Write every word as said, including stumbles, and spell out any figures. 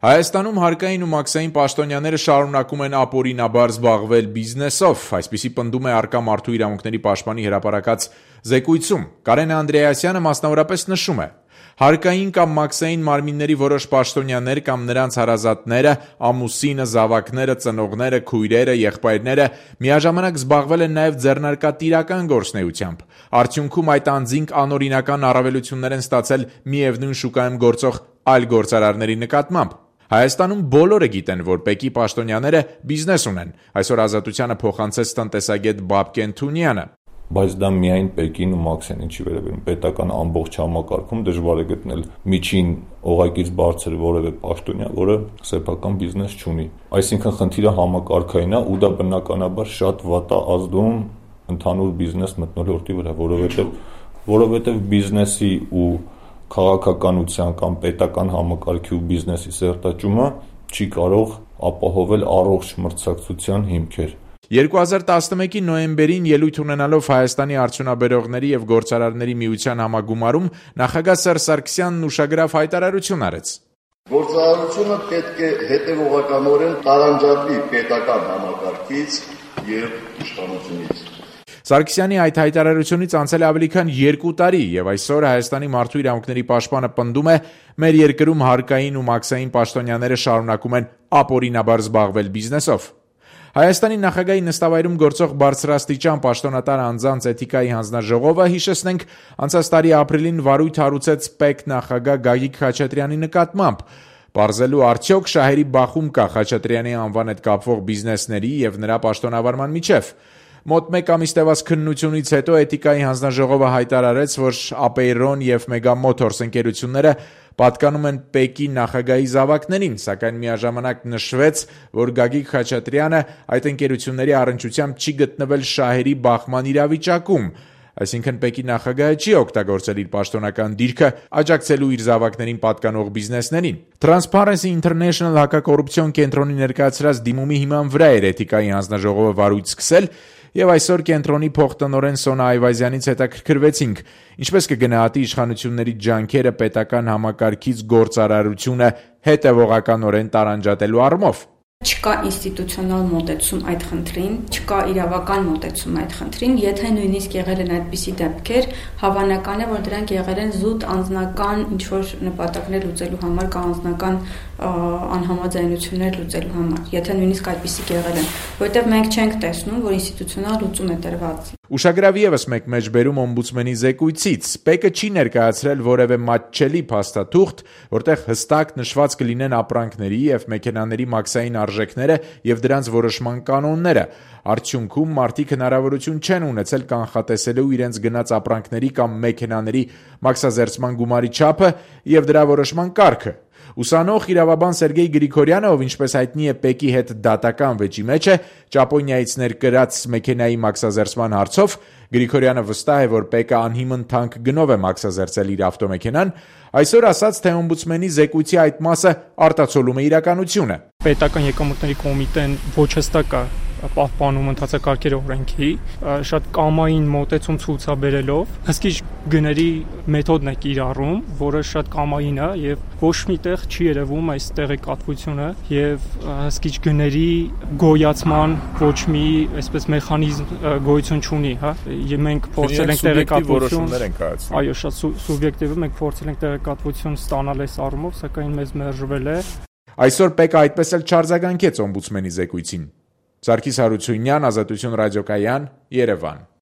Հայաստանում հարկային ու մաքսային պաշտոնյաները շարունակում են ապօրինաբար զբաղվել բիզնեսով, այսպիսի պնդում է առկա մարդու իրավունքների պաշտպանի հրապարակած զեկույցում։ Կարեն Անդրեասյանը մասնավորապես նշում է. հարկային կամ մաքսային մարմինների որոշ պաշտոնյաներ կամ նրանց հարազատները, ամուսինը, զավակները, ծնողները, քույրերը, եղբայրները միաժամանակ զբաղվել են նաև ձեռնարկատիրական գործունեությամբ։ Արդյունքում այդ անձինք անօրինական առավելություններ են ստացել միևնույն շուկայում գործող այլ գործարարների նկատմամբ։ Հայաստանում բոլորը գիտեն, որ ՊԵԿ-ի պաշտոնյաները բիզնես ունեն, այսօր Ազատությանը փոխանցեց տնտեսագետ Բաբկեն Թունյանը։ Բայց դա միայն ՊԵԿ-ին ու մաքսային չի վերաբերում, պետական ամբողջ համակարգում դժվար է գտնել միջին օղակից բարձր որևէ պաշտոնյա, որը սեփական բիզնես չունի։ Այսինքն խնդիրը համակարգային է ու դա բնականաբար շատ վատ է ազդում ընդհանուր բիզնես մթնոլորտի վրա, որովհետև որովհետև բիզնեսի ու քաղաքականության կամ պետական համակարգի ու բիզնեսի սերտաճումը չի կարող ապահովել առողջ մրցակցության հիմքեր։ երկու հազար տասնմեկի նոյեմբերին ելույթ ունենալով Հայաստանի արդյունաբերողների և գործարարների միության համագումարում նախագահ Սերժ Սարգսյանն ուշագրավ հայտարարություն արեց։ Գործարարությունը պետք է հետևողականորեն տարանջատվի պետական համակարգից և իշխանությունից։ Սարգսյանի այդ հայտարարությունից անցել է ավելի քան երկու տարի, և այսօր Հայաստանի մարդու իրավունքների պաշտպանը պնդում է, մեր երկրում հարկային ու մաքսային պաշտոնյաները շարունակում են ապօրինաբար զբաղվել բիզնեսով։ Հայաստանի նախագահի նստավայրում գործող բարձրաստիճան պաշտոնատար անձանց էթիկայի հանձնաժողովը, հիշեցնենք, անցած տարի ապրիլին վարույթ հարուցեց ՊԵԿ նախագահ Գագիկ Խաչատրյանի նկատմամբ, պարզելու արդյոք շահերի բախում կա Խաչատրյանի անվան հետ կապվող բիզնեսների և նրա պաշտոնավարման միջև։ Մոտ մեկ ամիս տևած քննությունից հետո էթիկայի հանձնաժողովը հայտարարեց, որ Ապեյրոն և Մեգա Մոթորս ընկերությունները պատկանում են ՊԵԿ-ի նախագահի զավակներին, սակայն միաժամանակ նշվեց, որ Գագիկ Խաչատրյանը այդ ընկերությունների առնչությամբ չի գտնվել շահերի բախման իրավիճակում, այսինքն ՊԵԿ-ի նախագահը չի օգտագործել իր պաշտոնական դիրքը աջակցելու իր զավակներին պատկանող բիզնեսներին։ Transparency International հակակոռուպցիոն կենտրոնի ներկայացրած դիմումի հիման վրա էր էթիկայի հանձնաժողովը վարույթ սկսել, և այսօր կենտրոնի փոխտնօրեն Սոնա Այվազյանից հետաքրքրվեցինք, ինչպես կգնահատի իշխանությունների ջանքերը պետական համակարգից գործարարությունը հետևողականորեն տարանջատելու առումով։ Չկա ինստիտուցիոնալ մոտեցում այդ խնդրին, չկա իրավական մոտեցում այդ խնդրին, եթե նույնիսկ եղել են այդպիսի դեպքեր, հավանական է, որ դրանք եղել են զուտ անձնական ինչ-որ նպատակներ լուծելու համար կամ անձնական անհամաձայնություններ լուծելու համար, եթե նույնիսկ այդպիսիք եղել են, որովհետև մենք չենք տեսնում, որ ինստիտուցիոնալ լուծում է տրված։ Ուշագրավ ևս մեկ մեջբերում օմբուդսմենի զեկույցից. ՊԵԿ-ը չի ներկայացրել որևէ մատչելի փաստաթուղթ, որտեղ հստակ նշված կլինեն ապրանքների և մեքենաների մաքսային արժեքները և դրանց որոշման կանոնները։ Արդյունքում մարդիկ հնարավորություն չեն ունեցել կանխատեսելու իրենց գնած ապրանքների կամ մեքենաների մաքսազերծման գումարի չափը և դրա որոշման կարգը։ Ուսանող իրավաբան Սերգեյ Գրիգորյանը, ով ինչպես հայտնի է ՊԵԿ-ի հետ դատական վեճի մեջ է, Ճապոնիայից ներկրած մեքենայի մաքսազերծման հարցով, Գրիգորյանը վստահ է, որ ՊԵԿ-ը անհիմն թանկ գնով է մաքսազերծել իր ավտոմեքենան, այսօր ասաց, թե օմբուդսմենի զեկույցի այդ մասը արտացոլում է իրականությունը։ Պետական եկամուտների կոմիտեն ոչ հստակ է պահպանում ընթացակարգերի օրենքի, շատ կամային մոտեցում ցուցաբերելով հսկիչ գների մեթոդն է կիրառում, որը շատ կամային է եւ ոչ միտեղ չի երևում այս տեղեկատվությունը եւ հսկիչ գների գոյացման ոչ մի այսպես մեխանիզմ գոյություն չունի, հա։ Եվ մենք փորձել ենք տեղեկատվություն, այո, շատ սուբյեկտիվ է, մենք փորձել ենք տեղեկատվություն ստանալ այս առումով, սակայն մեզ մերժվել է։ Այսօր ՊԵԿ-ը այդպես էլ չարձագանքեց օմբուդսմենի զեկույցին։ Սարգիս Հարությունյան, Ազատություն ռադիոկայան, Երևան։